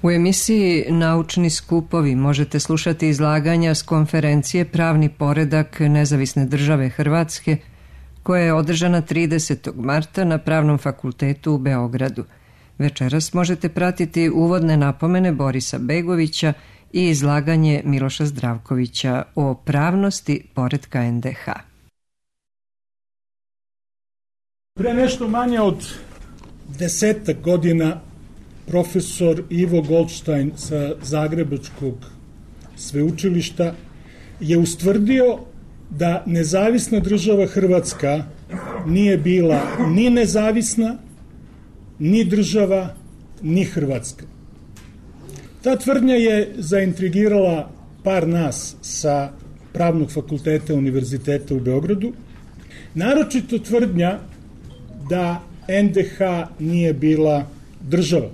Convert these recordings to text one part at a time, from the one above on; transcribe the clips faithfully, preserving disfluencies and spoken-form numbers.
U emisiji Naučni skupovi možete slušati izlaganja s konferencije Pravni poredak Nezavisne države Hrvatske, koja je održana tridesetog marta na Pravnom fakultetu u Beogradu. Večeras možete pratiti uvodne napomene Borisa Begovića i izlaganje Miloša Zdravkovića o pravnosti poretka en de ha. Pre nešto manje od desetak godina profesor Ivo Goldstein sa Zagrebačkog sveučilišta je ustvrdio da nezavisna država Hrvatska nije bila ni nezavisna, ni država, ni Hrvatska. Ta tvrdnja je zaintrigirala par nas sa Pravnog fakulteta Univerziteta u Beogradu, naročito tvrdnja da en de ha nije bila država.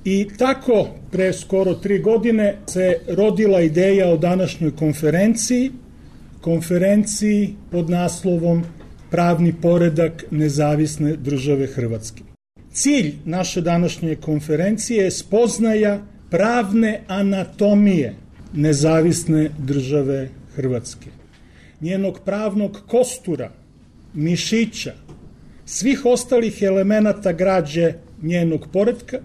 I tako, pre skoro tri godine, se rodila ideja o današnjoj konferenciji, konferenciji pod naslovom Pravni poredak Nezavisne države Hrvatske. Cilj naše današnje konferencije je spoznaja pravne anatomije Nezavisne države Hrvatske, njenog pravnog kostura, mišića, svih ostalih elemenata građe njenog poretka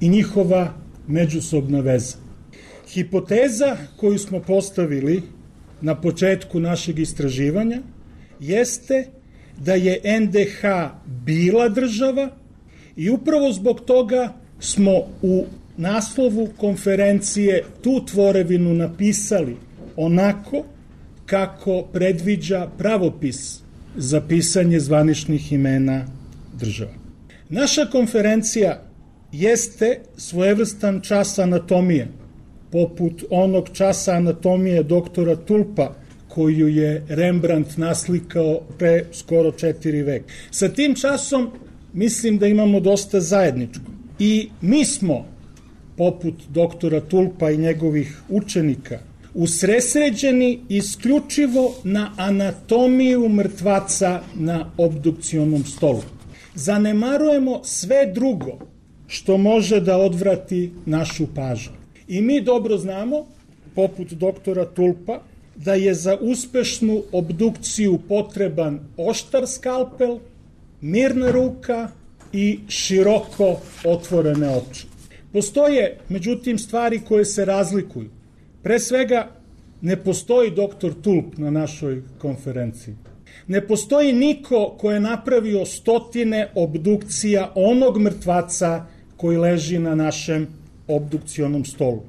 i njihova međusobna veza. Hipoteza koju smo postavili na početku našeg istraživanja jeste da je en de ha bila država i upravo zbog toga smo u naslovu konferencije tu tvorevinu napisali onako kako predviđa pravopis za pisanje zvaničnih imena država. Naša konferencija jeste svojevrstan čas anatomije, poput onog časa anatomije doktora Tulpa, koju je Rembrandt naslikao pre skoro četiri veka. Sa tim časom mislim da imamo dosta zajedničko. I mi smo, poput doktora Tulpa i njegovih učenika, usresređeni isključivo na anatomiju mrtvaca na obdukcionom stolu. Zanemarujemo sve drugo što može da odvrati našu pažnju. I mi dobro znamo, poput doktora Tulpa, da je za uspešnu obdukciju potreban oštar skalpel, mirna ruka i široko otvorene oči. Postoje, međutim, stvari koje se razlikuju. Pre svega, ne postoji doktor Tulp na našoj konferenciji. Ne postoji niko ko je napravio stotine obdukcija onog mrtvaca koji leži na našem obdukcionom stolu.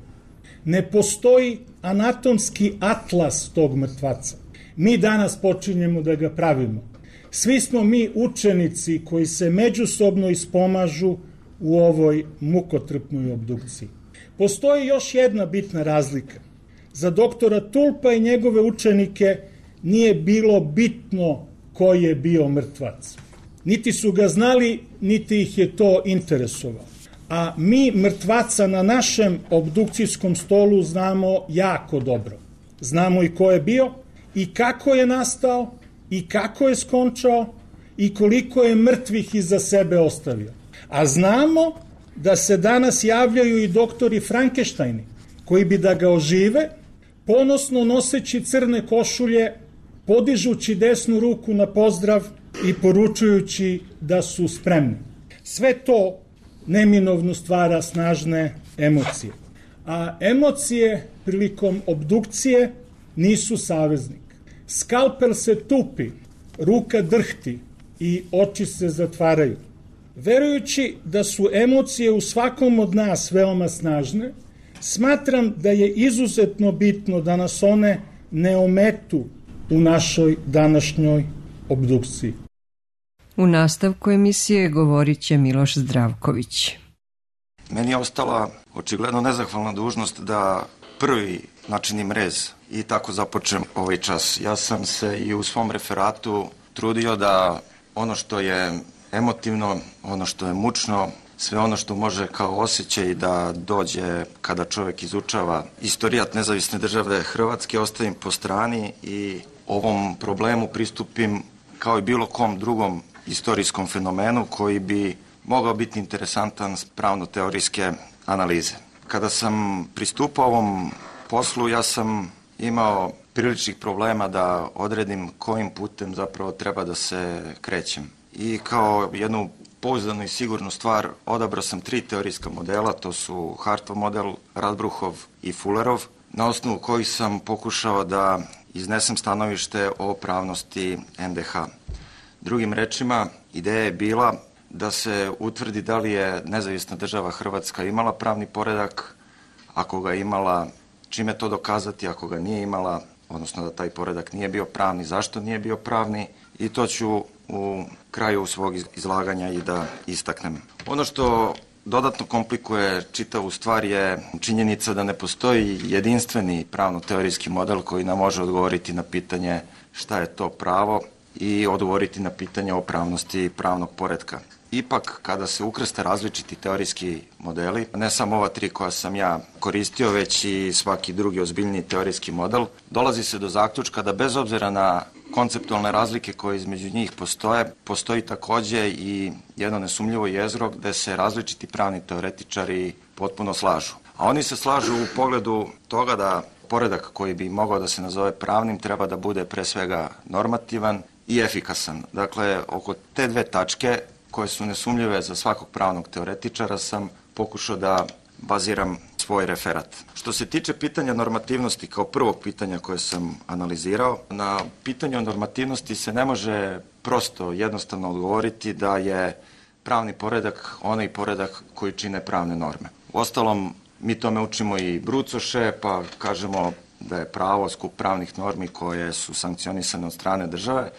Ne postoji anatomski atlas tog mrtvaca. Mi danas počinjemo da ga pravimo. Svi smo mi učenici koji se međusobno ispomažu u ovoj mukotrpnoj obdukciji. Postoji još jedna bitna razlika. Za doktora Tulpa i njegove učenike nije bilo bitno ko je bio mrtvac. Niti su ga znali, niti ih je to interesovalo. A mi mrtvaca na našem obdukcijskom stolu znamo jako dobro. Znamo i ko je bio, i kako je nastao, i kako je skončao, i koliko je mrtvih iza sebe ostavio. A znamo da se danas javljaju i doktori Frankensteini, koji bi da ga ožive, ponosno noseći crne košulje, podižući desnu ruku na pozdrav i poručujući da su spremni. Sve to neminovno stvara snažne emocije. A emocije prilikom obdukcije nisu saveznik. Skalpel se tupi, ruka drhti i oči se zatvaraju. Verujući da su emocije u svakom od nas veoma snažne, smatram da je izuzetno bitno da nas one ne ometu u našoj današnjoj obdukciji. U nastavku emisije govorit će Miloš Zdravković. Meni je ostala očigledno nezahvalna dužnost da prvi načinim rez i tako započnem ovaj čas. Ja sam se i u svom referatu trudio da ono što je emotivno, ono što je mučno, sve ono što može kao osjećaj da dođe kada čovjek izučava istorijat Nezavisne države Hrvatske, ostavim po strani i ovom problemu pristupim kao i bilo kom drugom istorijskom fenomenu koji bi mogao biti interesantan s pravno-teorijske analize. Kada sam pristupao ovom poslu, ja sam imao priličnih problema da odredim kojim putem zapravo treba da se krećem. I kao jednu pouzdanu i sigurnu stvar odabrao sam tri teorijska modela, to su Hartov model, Radbruhov i Fullerov, na osnovu kojih sam pokušao da iznesem stanovište o pravnosti en de ha. Drugim rečima, ideja je bila da se utvrdi da li je nezavisna država Hrvatska imala pravni poredak, ako ga imala, čime to dokazati, ako ga nije imala, odnosno da taj poredak nije bio pravni, zašto nije bio pravni, i to ću u kraju svog izlaganja i da istaknem. Ono što dodatno komplikuje čitavu stvar je činjenica da ne postoji jedinstveni pravno-teorijski model koji nam može odgovoriti na pitanje šta je to pravo i odgovoriti na pitanje o pravnosti pravnog poretka. Ipak, kada se ukrste različiti teorijski modeli, ne samo ova tri koja sam ja koristio, već i svaki drugi ozbiljniji teorijski model, dolazi se do zaključka da bez obzira na konceptualne razlike koje između njih postoje, postoji takođe i jedno nesumljivo jezgro gde se različiti pravni teoretičari potpuno slažu. A oni se slažu u pogledu toga da poredak koji bi mogao da se nazove pravnim treba da bude pre svega normativan i efikasan. Dakle, oko te dve tačke koje su nesumljive za svakog pravnog teoretičara sam pokušao da baziram svoj referat. Što se tiče pitanja normativnosti kao prvog pitanja koje sam analizirao, na pitanje o normativnosti se ne može prosto jednostavno odgovoriti da je pravni poredak onaj poredak koji čine pravne norme. Uostalom, mi tome učimo i brucoše, pa kažemo da je pravo skup pravnih normi koje su sankcionisane od strane države,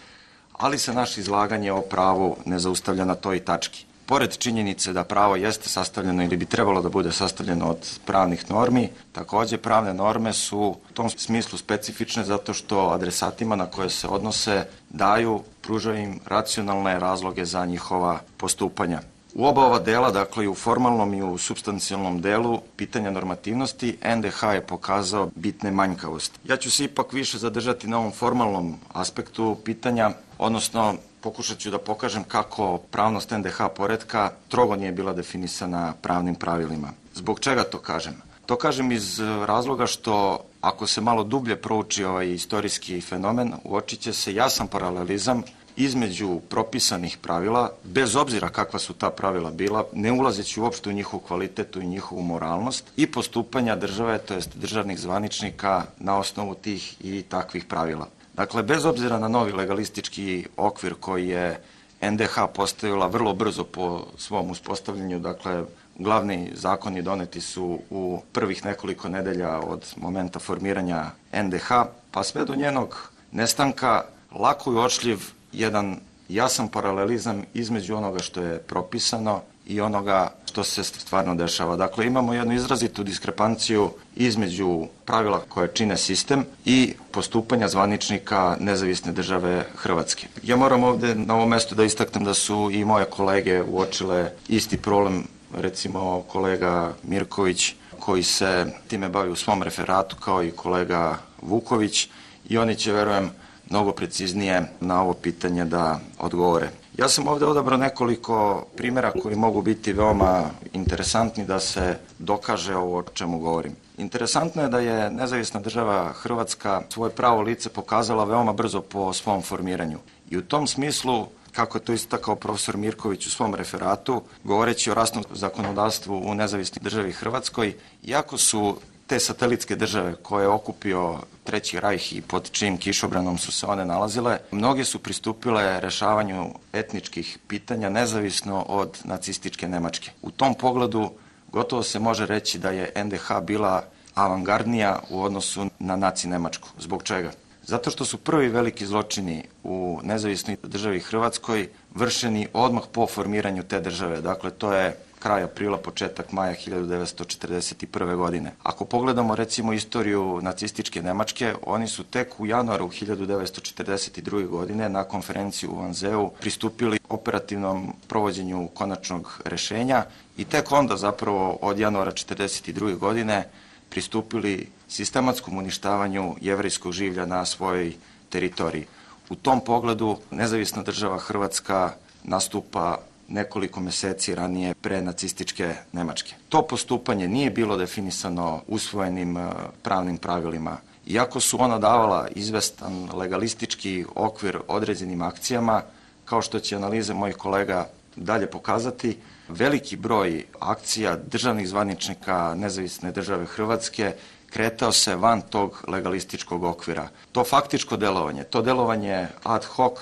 ali se naše izlaganje o pravu ne zaustavlja na toj tački. Pored činjenice da pravo jeste sastavljeno ili bi trebalo da bude sastavljeno od pravnih normi, takođe pravne norme su u tom smislu specifične zato što adresatima na koje se odnose daju, pružaju im racionalne razloge za njihova postupanja. U oba ova dela, dakle i u formalnom i u supstancijalnom delu pitanja normativnosti, en de ha je pokazao bitne manjkavosti. Ja ću se ipak više zadržati na ovom formalnom aspektu pitanja, odnosno pokušat ću da pokažem kako pravnost en de ha poretka strogo nije bila definisana pravnim pravilima. Zbog čega to kažem? To kažem iz razloga što ako se malo dublje prouči ovaj istorijski fenomen, uočit će se jasan paralelizam između propisanih pravila, bez obzira kakva su ta pravila bila, ne ulazeći uopšte u njihovu kvalitetu i njihovu moralnost, i postupanja države, to jest državnih zvaničnika na osnovu tih i takvih pravila. Dakle, bez obzira na novi legalistički okvir koji je en de ha postavila vrlo brzo po svom uspostavljanju, dakle, glavni zakoni doneti su u prvih nekoliko nedelja od momenta formiranja en de ha, pa sve do njenog nestanka, lako i uočljiv jedan jasan paralelizam između onoga što je propisano i onoga što se stvarno dešava. Dakle, imamo jednu izrazitu diskrepanciju između pravila koje čine sistem i postupanja zvaničnika nezavisne države Hrvatske. Ja moram ovde na ovom mestu da istaknem da su i moje kolege uočile isti problem, recimo kolega Mirković koji se time bavi u svom referatu, kao i kolega Vuković, i oni će, verujem, mnogo preciznije na ovo pitanje da odgovore. Ja sam ovde odabrao nekoliko primjera koji mogu biti veoma interesantni da se dokaže ovo o čemu govorim. Interesantno je da je nezavisna država Hrvatska svoje pravo lice pokazala veoma brzo po svom formiranju. I u tom smislu, kako je to istakao profesor Mirković u svom referatu, govoreći o rasnom zakonodavstvu u nezavisnoj državi Hrvatskoj, iako su te satelitske države koje je okupio Treći rajh i pod čijim kišobranom su se one nalazile, mnoge su pristupile rešavanju etničkih pitanja nezavisno od nacističke Nemačke. U tom pogledu gotovo se može reći da je en de ha bila avangardnija u odnosu na naci Nemačku. Zbog čega? Zato što su prvi veliki zločini u nezavisnoj državi Hrvatskoj vršeni odmah po formiranju te države. Dakle, to je kraj aprila, početak maja hiljadu devetsto četrdeset prve. godine. Ako pogledamo recimo istoriju nacističke Nemačke, oni su tek u januaru hiljadu devetsto četrdeset druge. godine na konferenciju u Wannseu pristupili operativnom provođenju konačnog rešenja i tek onda zapravo od januara četrdeset druge. godine pristupili sistematskom uništavanju jevrejskog življa na svojoj teritoriji. U tom pogledu nezavisna država Hrvatska nastupa nekoliko meseci ranije pre nacističke Nemačke. To postupanje nije bilo definisano usvojenim pravnim pravilima. Iako su ona davala izvestan legalistički okvir određenim akcijama, kao što će analize mojih kolega dalje pokazati, veliki broj akcija državnih zvaničnika Nezavisne države Hrvatske kretao se van tog legalističkog okvira. To faktičko delovanje, to delovanje ad hoc,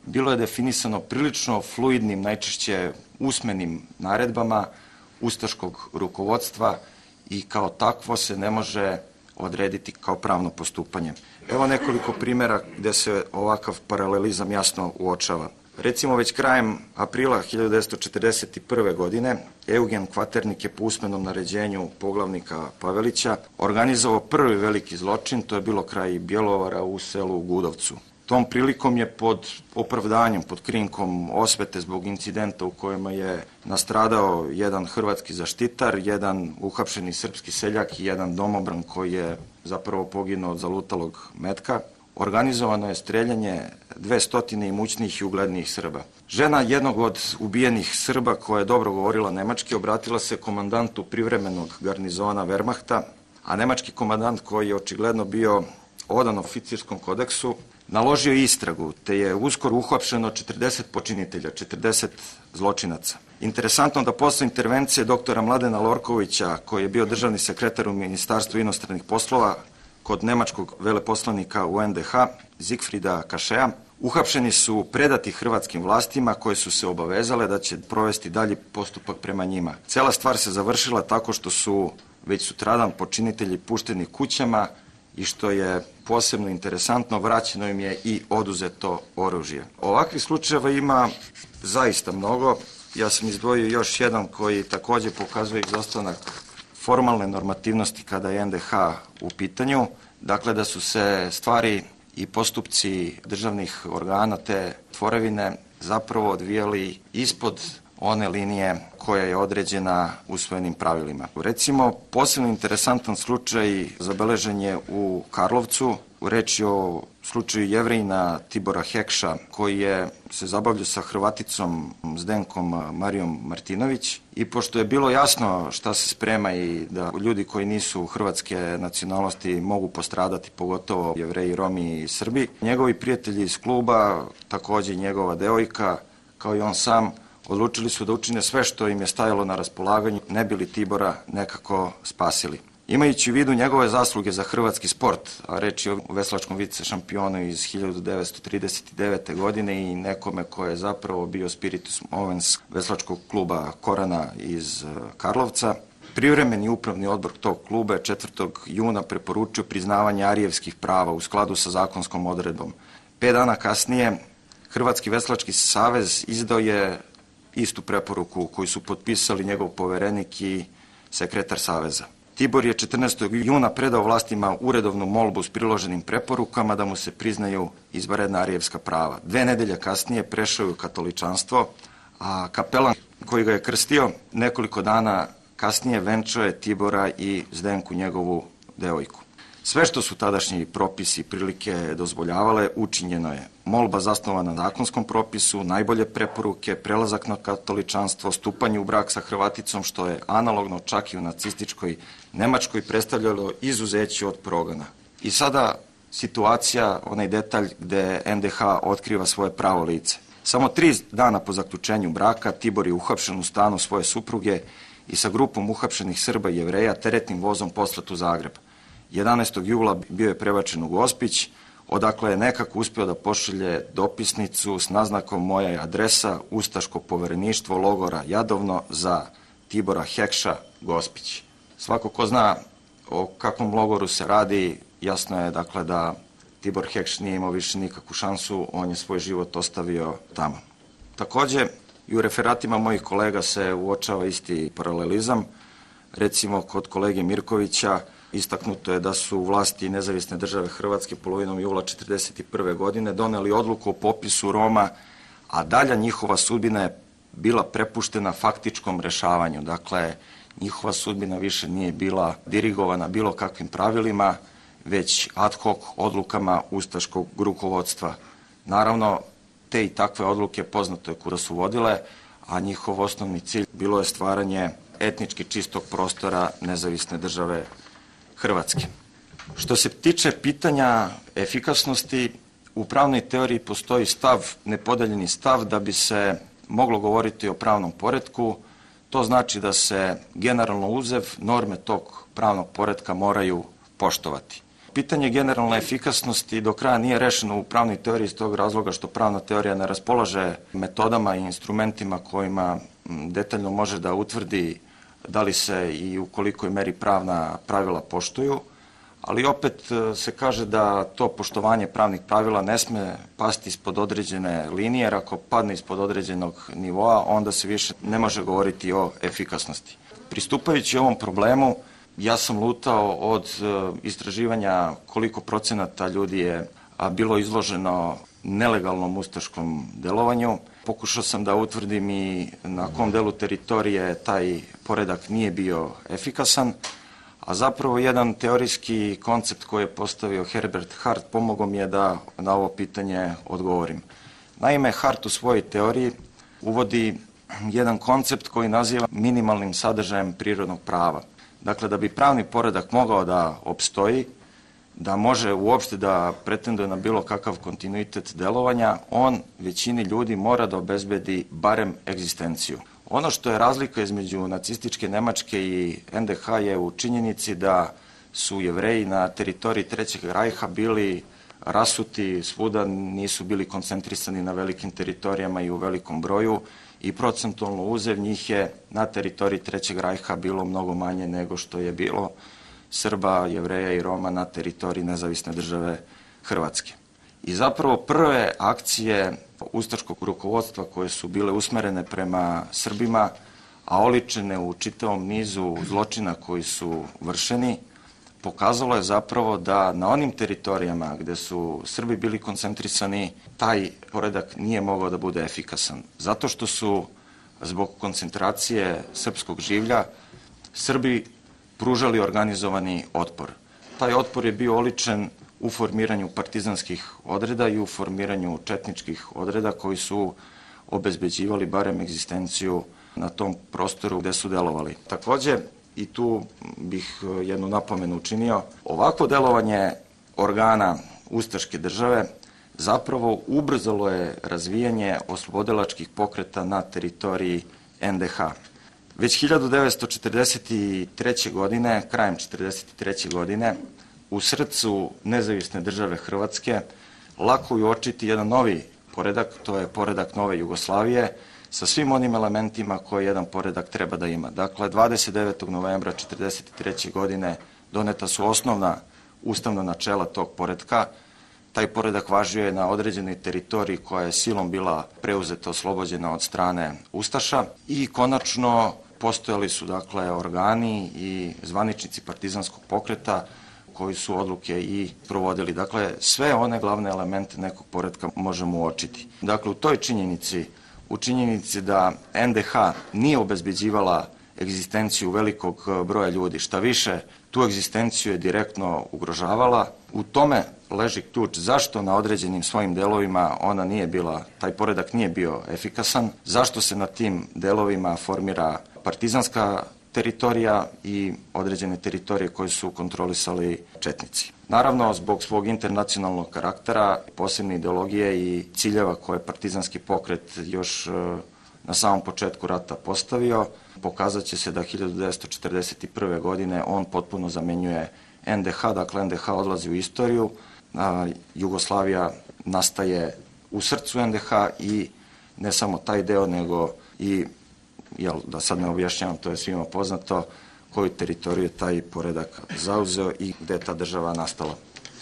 bilo je definisano prilično fluidnim, najčešće usmenim naredbama ustaškog rukovodstva i kao takvo se ne može odrediti kao pravno postupanje. Evo nekoliko primjera gde se ovakav paralelizam jasno uočava. Recimo, već krajem aprila hiljadu devetsto četrdeset prve. godine Eugen Kvaternik je po usmenom naređenju poglavnika Pavelića organizovao prvi veliki zločin, to je bilo kraj Bjelovara u selu Gudovcu. Tom prilikom je pod opravdanjem, pod krinkom osvete zbog incidenta u kojima je nastradao jedan hrvatski zaštitar, jedan uhapšeni srpski seljak i jedan domobran koji je zapravo poginuo od zalutalog metka, organizovano je streljanje dvestotine imućnijih i uglednijih Srba. Žena jednog od ubijenih Srba, koja je dobro govorila nemački, obratila se komandantu privremenog garnizona Wehrmachta, a nemački komandant, koji je očigledno bio odan oficirskom kodeksu, naložio istragu, te je uskoro uhapšeno četrdeset počinitelja, četrdeset zločinaca. Interesantno da posle intervencije doktora Mladena Lorkovića, koji je bio državni sekretar u Ministarstvu inostranih poslova, kod nemačkog veleposlanika u en de ha, Zigfrida Kašea, uhapšeni su predati hrvatskim vlastima koje su se obavezale da će provesti dalji postupak prema njima. Cela stvar se završila tako što su već sutradan počinitelji pušteni kućama i što je posebno interesantno, vraćeno im je i oduzeto oružje. Ovakvih slučajeva ima zaista mnogo. Ja sam izdvojio još jedan koji takođe pokazuje izostanak formalne normativnosti kada je en de ha u pitanju, dakle da su se stvari i postupci državnih organa te tvorevine zapravo odvijali ispod one linije koja je određena usvojenim pravilima. Recimo, posebno interesantan slučaj zabeležen je u Karlovcu. Reč je o slučaju Jevrejina Tibora Hekša, koji je se zabavljao sa Hrvaticom Zdenkom Marijom Martinović, i pošto je bilo jasno šta se sprema i da ljudi koji nisu hrvatske nacionalnosti mogu postradati, pogotovo Jevreji, Romi i Srbi, njegovi prijatelji iz kluba, takođe njegova devojka, kao i on sam, odlučili su da učine sve što im je stajalo na raspolaganju, ne bi li Tibora nekako spasili. Imajući u vidu njegove zasluge za hrvatski sport, a reč je o veslačkom vice šampionu iz hiljadu devetsto trideset devete. godine i nekome ko je zapravo bio spiritus movens veslačkog kluba Korana iz Karlovca, privremeni upravni odbor tog kluba je četvrtog juna preporučio priznavanje arijevskih prava u skladu sa zakonskom odredbom. Pet dana kasnije Hrvatski veslački savez izdao je istu preporuku koju su potpisali njegov poverenik i sekretar saveza. Tibor je četrnaestog juna predao vlastima uredovnu molbu s priloženim preporukama da mu se priznaju izvanredna arijevska prava. Dve nedelje kasnije prešao je u katoličanstvo, a kapelan koji ga je krstio nekoliko dana kasnije venčao je Tibora i Zdenku, njegovu devojku. Sve što su tadašnji propisi i prilike dozvoljavale, učinjeno je. Molba zasnovana na zakonskom propisu, najbolje preporuke, prelazak na katoličanstvo, stupanje u brak sa Hrvaticom, što je analogno čak i u nacističkoj Nemačkoj predstavljalo izuzeće od progona. I sada situacija, onaj detalj gde en de ha otkriva svoje pravo lice. Samo tri dana po zaključenju braka Tibor je uhapšen u stanu svoje supruge i sa grupom uhapšenih Srba i Jevreja teretnim vozom poslat u Zagreb. jedanaestog jula bio je prebačen u Gospić, odakle je nekako uspeo da pošalje dopisnicu s naznakom moja je adresa, ustaško povereništvo logora Jadovno za Tibora Hekša, Gospić. Svako ko zna o kakvom logoru se radi, jasno je dakle da Tibor Hekš nije imao više nikakvu šansu, on je svoj život ostavio tamo. Takođe, i u referatima mojih kolega se uočava isti paralelizam. Recimo, kod kolege Mirkovića istaknuto je da su vlasti Nezavisne države Hrvatske polovinom jula četrdeset prve. godine doneli odluku o popisu Roma, a dalja njihova sudbina je bila prepuštena faktičkom rešavanju. Dakle, njihova sudbina više nije bila dirigovana bilo kakvim pravilima, već ad hoc odlukama ustaškog rukovodstva. Naravno, te i takve odluke poznato je kuda su vodile, a njihov osnovni cilj bilo je stvaranje etnički čistog prostora nezavisne države Hrvatske. Što se tiče pitanja efikasnosti, u pravnoj teoriji postoji stav, nepodeljeni stav da bi se moglo govoriti o pravnom poretku. To znači da se generalno uzev norme tog pravnog poretka moraju poštovati. Pitanje generalne efikasnosti do kraja nije rešeno u pravnoj teoriji iz tog razloga što pravna teorija ne raspolaže metodama i instrumentima kojima detaljno može da utvrdi da li se i u kolikoj meri pravna pravila poštuju, ali opet se kaže da to poštovanje pravnih pravila ne sme pasti ispod određene linije, jer ako padne ispod određenog nivoa, onda se više ne može govoriti o efikasnosti. Pristupajući ovom problemu, ja sam lutao od istraživanja koliko procenata ljudi je bilo izloženo nelegalnom ustaškom delovanju. Pokušao sam da utvrdim i na kom delu teritorije taj poredak nije bio efikasan, a zapravo jedan teorijski koncept koji je postavio Herbert Hart pomogao mi je da na ovo pitanje odgovorim. Naime, Hart u svojoj teoriji uvodi jedan koncept koji naziva minimalnim sadržajem prirodnog prava. Dakle, da bi pravni poredak mogao da opstoji, da može uopšte da pretenduje na bilo kakav kontinuitet delovanja, on većini ljudi mora da obezbedi barem egzistenciju. Ono što je razlika između nacističke Nemačke i en de ha je u činjenici da su Jevreji na teritoriji Trećeg rajha bili rasuti svuda, nisu bili koncentrisani na velikim teritorijama i u velikom broju i procentualno uzev njih je na teritoriji Trećeg rajha bilo mnogo manje nego što je bilo Srba, Jevreja i Roma na teritoriji nezavisne države Hrvatske. I zapravo prve akcije ustaškog rukovodstva koje su bile usmerene prema Srbima, a oličene u čitavom nizu zločina koji su vršeni, pokazalo je zapravo da na onim teritorijama gde su Srbi bili koncentrisani, taj poredak nije mogao da bude efikasan. Zato što su zbog koncentracije srpskog življa Srbi pružali organizovani otpor. Taj otpor je bio oličen u formiranju partizanskih odreda i u formiranju četničkih odreda koji su obezbeđivali barem egzistenciju na tom prostoru gde su delovali. Takođe, i tu bih jednu napomenu učinio, ovakvo delovanje organa ustaške države zapravo ubrzalo je razvijanje oslobodilačkih pokreta na teritoriji en de ha. Već hiljadu devetsto četrdeset treće. godine, krajem četrdeset treće. godine, u srcu nezavisne države Hrvatske lako je uočiti jedan novi poredak, to je poredak nove Jugoslavije, sa svim onim elementima koje jedan poredak treba da ima. Dakle, dvadeset devetog novembra četrdeset treće. godine doneta su osnovna ustavna načela tog poretka. Taj poredak važio je na određenoj teritoriji koja je silom bila preuzeta, oslobođena od strane Ustaša i konačno postojali su dakle organi i zvaničnici partizanskog pokreta koji su odluke i provodili. Dakle, sve one glavne elemente nekog poretka možemo uočiti. Dakle, u toj činjenici, u činjenici da en de ha nije obezbeđivala egzistenciju velikog broja ljudi, šta više, tu egzistenciju je direktno ugrožavala. U tome leži ključ zašto na određenim svojim delovima ona nije bila, taj poredak nije bio efikasan, zašto se na tim delovima formira partizanska teritorija i određene teritorije koje su kontrolisali četnici. Naravno, zbog svog internacionalnog karaktera, posebne ideologije i ciljeva koje partizanski pokret još na samom početku rata postavio, pokazat će se da hiljadu devetsto četrdeset prve. godine on potpuno zamenjuje en de ha, dakle en de ha odlazi u istoriju, a Jugoslavija nastaje u srcu en de ha i ne samo taj deo, nego i, jel, da sad ne objašnjavam, to je svima poznato, koju teritoriju je taj poredak zauzeo i gde je ta država nastala.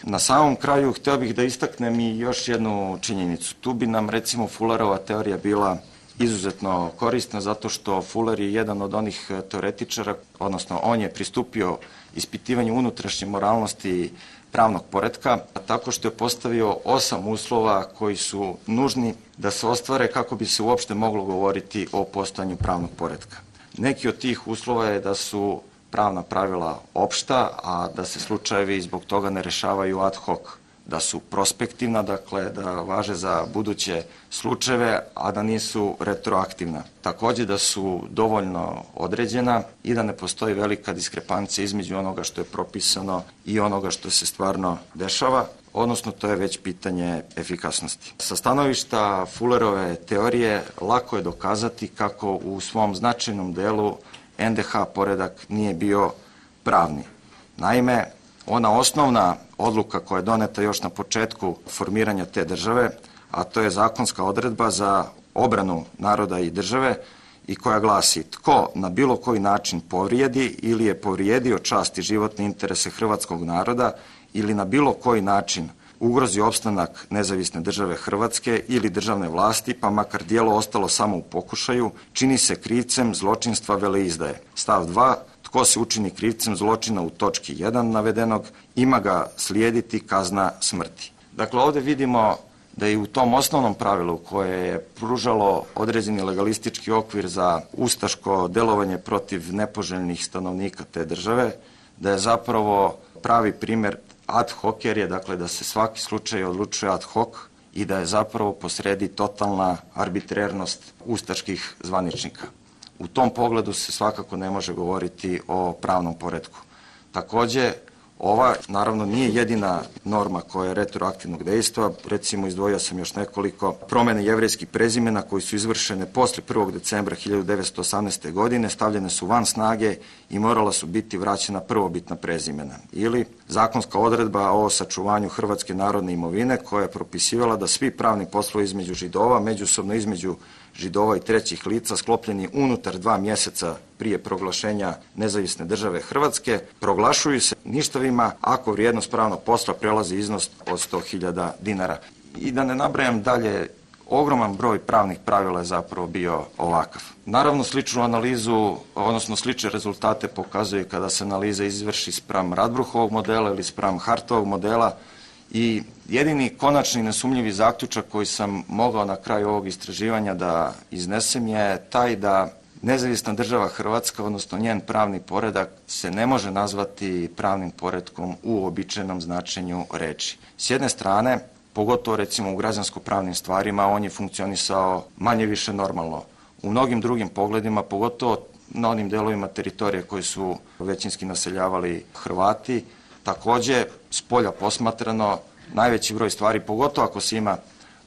Na samom kraju hteo bih da istaknem i još jednu činjenicu. Tu bi nam recimo Fullerova teorija bila izuzetno korisna zato što Fuller je jedan od onih teoretičara, odnosno on je pristupio ispitivanju unutrašnje moralnosti pravnog poretka, tako što je postavio osam uslova koji su nužni da se ostvare kako bi se uopšte moglo govoriti o postojanju pravnog poretka. Neki od tih uslova je da su pravna pravila opšta, a da se slučajevi zbog toga ne rešavaju ad hoc da su prospektivna, dakle da važe za buduće slučajeve, a da nisu retroaktivna. Takođe da su dovoljno određena i da ne postoji velika diskrepancija između onoga što je propisano i onoga što se stvarno dešava, odnosno to je već pitanje efikasnosti. Sa stanovišta Fullerove teorije lako je dokazati kako u svom značajnom delu en de ha poredak nije bio pravni. Naime, ona osnovna odluka koja je doneta još na početku formiranja te države, a to je zakonska odredba za obranu naroda i države i koja glasi: tko na bilo koji način povrijedi ili je povrijedio čast i životne interese hrvatskog naroda ili na bilo koji način ugrozi opstanak nezavisne države Hrvatske ili državne vlasti, pa makar djelo ostalo samo u pokušaju, čini se krivcem zločinstva veleizdaje. Stav dva. Tko se učini krivcem zločina u točki jedan navedenog, ima ga slijediti kazna smrti. Dakle, ovde vidimo da i u tom osnovnom pravilu koje je pružalo određeni legalistički okvir za ustaško delovanje protiv nepoželjnih stanovnika te države, da je zapravo pravi primer ad hoc, jer je dakle da se svaki slučaj odlučuje ad hoc i da je zapravo posredi totalna arbitrernost ustaških zvaničnika. U tom pogledu se svakako ne može govoriti o pravnom poretku. Takođe, ova naravno nije jedina norma koja je retroaktivnog dejstva. Recimo, izdvojio sam još nekoliko promene jevrejskih prezimena koji su izvršene posle prvog decembra hiljadu devetsto osamnaeste. godine, stavljene su van snage i morala su biti vraćena prvobitna prezimena. Ili zakonska odredba o sačuvanju hrvatske narodne imovine koja je propisivala da svi pravni poslovi između Židova, međusobno između Židova i trećih lica sklopljeni unutar dva mjeseca prije proglašenja nezavisne države Hrvatske proglašuju se ništavima ako vrijednost pravnog posla prelazi iznos od sto hiljada dinara. I da ne nabrajam dalje, ogroman broj pravnih pravila je zapravo bio ovakav. Naravno, sličnu analizu, odnosno slične rezultate pokazuje kada se analiza izvrši spram Radbruhovog modela ili spram Hartovog modela. I jedini konačni nesumnjivi zaključak koji sam mogao na kraju ovog istraživanja da iznesem je taj da nezavisna država Hrvatska, odnosno njen pravni poredak, se ne može nazvati pravnim poretkom u uobičajenom značenju reči. S jedne strane, pogotovo recimo u građansko-pravnim stvarima, on je funkcionisao manje više normalno. U mnogim drugim pogledima, pogotovo na onim delovima teritorije koji su većinski naseljavali Hrvati, takođe, s polja posmatrano, najveći broj stvari, pogotovo ako se ima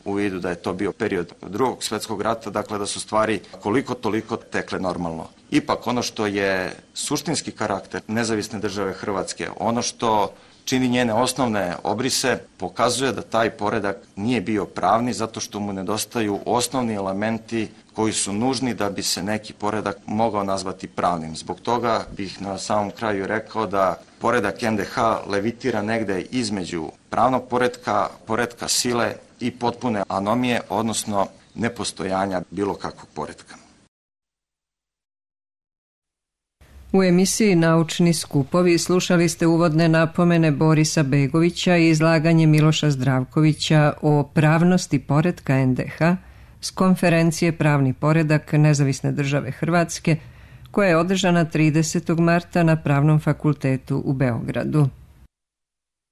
u vidu da je to bio period Drugog svjetskog rata, dakle da su stvari koliko toliko tekle normalno. Ipak ono što je suštinski karakter nezavisne države Hrvatske, ono što čini njene osnovne obrise, pokazuje da taj poredak nije bio pravni zato što mu nedostaju osnovni elementi koji su nužni da bi se neki poredak mogao nazvati pravnim. Zbog toga bih na samom kraju rekao da poredak en de ha levitira negde između pravnog poretka, poretka sile i potpune anomije, odnosno nepostojanja bilo kakvog poretka. U emisiji Naučni skupovi slušali ste uvodne napomene Borisa Begovića i izlaganje Miloša Zdravkovića o pravnosti poretka en de ha s konferencije Pravni poredak Nezavisne države Hrvatske, koja je održana tridesetog marta na Pravnom fakultetu u Beogradu.